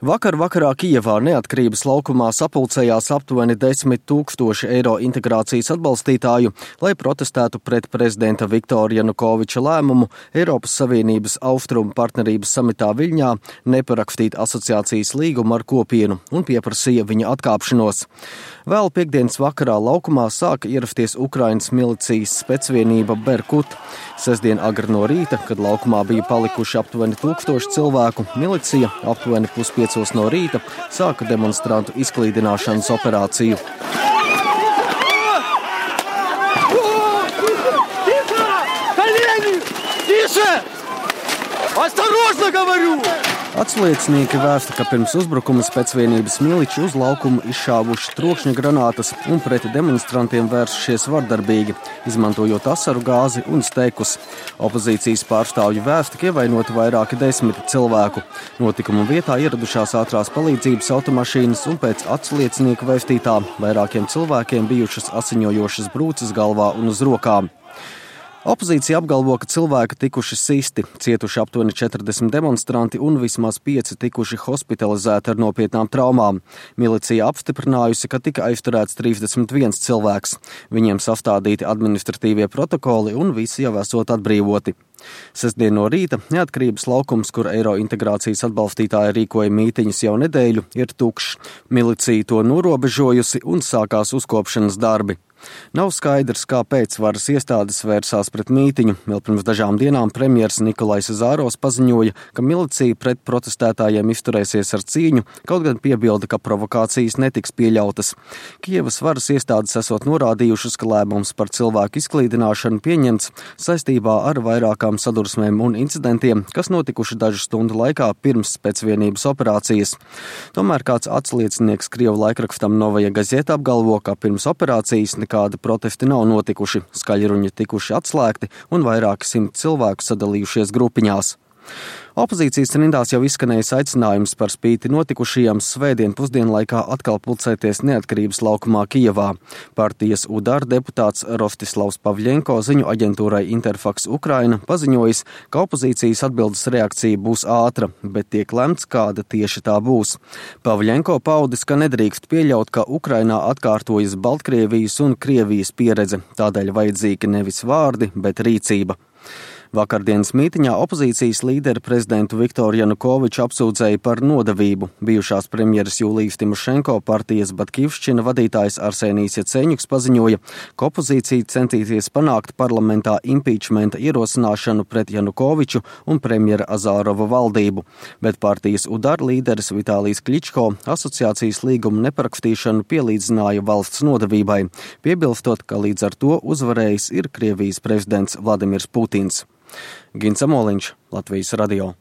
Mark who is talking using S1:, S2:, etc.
S1: Vakar vakarā Kijevā Neatkarības laukumā sapulcējās aptuveni 10 000 eiro integrācijas atbalstītāju, lai protestētu pret prezidenta Viktora Janukoviča lēmumu Eiropas Savienības austrumu partnerības samitā Viļņā neparakstīt asociācijas līgumu ar kopienu un pieprasīja viņa atkāpšanos. Vēl piektdienas vakarā laukumā sāka ierasties Ukrainas milicijas specvienība Berkut. Sestdien agri no rīta, kad laukumā bija palikuši aptuveni 1000 cilvēku, milicija aptuveni 4:30 no rīta sāka demonstrantu izklīdināšanas operāciju. Atsliecinieki vēsta, ka pirms uzbrukuma specvienības miliči uz laukumu izšāvuši trokšņa granātas un pret demonstrantiem vērsušies vardarbīgi, izmantojot asaru gāzi un steikus. Opozīcijas pārstāvju vēsta, ka ievainoti vairāki 10 cilvēku. Notikuma vietā ieradušās ātrās palīdzības automašīnas un pēc atsliecinieku vēstītā vairākiem cilvēkiem bijušas asiņojošas brūces galvā un uz rokām. Opozīcija apgalvo, ka cilvēki tikuši sisti, cietuši aptuveni 40 demonstranti un vismaz 5 tikuši hospitalizēti ar nopietnām traumām. Milicija apstiprinājusi, ka tika aizturēts 31 cilvēks. Viņiem sastādīti administratīvie protokoli un visi jau esot atbrīvoti. Sestdien no rīta Neatkarības laukums, kur eiro integrācijas atbalstītāji rīkoja mītiņas jau nedēļu, ir tukšs. Milicija to norobežojusi un sākās uzkopšanas darbi. Nav skaidrs, kāpēc varas iestādes vērsās pret mītiņu. Vēl pirms dažām dienām premjers Nikolais Zāros paziņoja, ka milicija pret protestētājiem izturēsies ar cīņu, kaut gan piebilda, ka provokācijas netiks pieļautas. Kijevas varas iestādes esot norādījušas, ka lēmums par cilvēku izklīdināšanu pieņemts saistībā ar vairākām sadursmēm un incidentiem, kas notikuši dažu stundu laikā pirms specvienības operācijas. Tomēr kāds atsliecinieks Krievu laikrakstam Novaja Gazeta apgalvo, ka pirms operācijas nekādi protesti nav notikuši, skaļruņi tikuši atslēgti un vairāki 100 cilvēku sadalījušies grupiņās. Opozīcijas rindās jau izskanējis aicinājums par spīti notikušajām svētdien pusdienlaikā atkal pulcēties Neatkarības laukumā Kijevā. Partijas UDAR deputāts Rostislavs Pavļenko ziņu aģentūrai Interfax Ukraina paziņojis, ka opozīcijas atbildes reakcija būs ātra, bet tiek lemts, kāda tieši tā būs. Pavļenko paudis, ka nedrīkst pieļaut, ka Ukrainā atkārtojas Baltkrievijas un Krievijas pieredze, tādēļ vajadzīgi nevis vārdi, bet rīcība. Vakardienas mītiņā opozīcijas līderi prezidentu Viktoru Janukoviču apsūdzēja par nodevību. Bijušās premjeras Jūlijas Timošenko partijas Batkivšķina vadītājs Arsenijs Jaceņuks paziņoja, ka opozīcija centīsies panākt parlamentā impeachmenta ierosināšanu pret Janukoviču un premjera Azārova valdību. Bet partijas UDAR līderis Vitālijs Kličko asociācijas līgumu neparakstīšanu pielīdzināja valsts nodevībai, piebilstot, ka līdz ar to uzvarējis ir Krievijas prezidents Vladimirs Putins. Gins Amoliņš, Latvijas radio.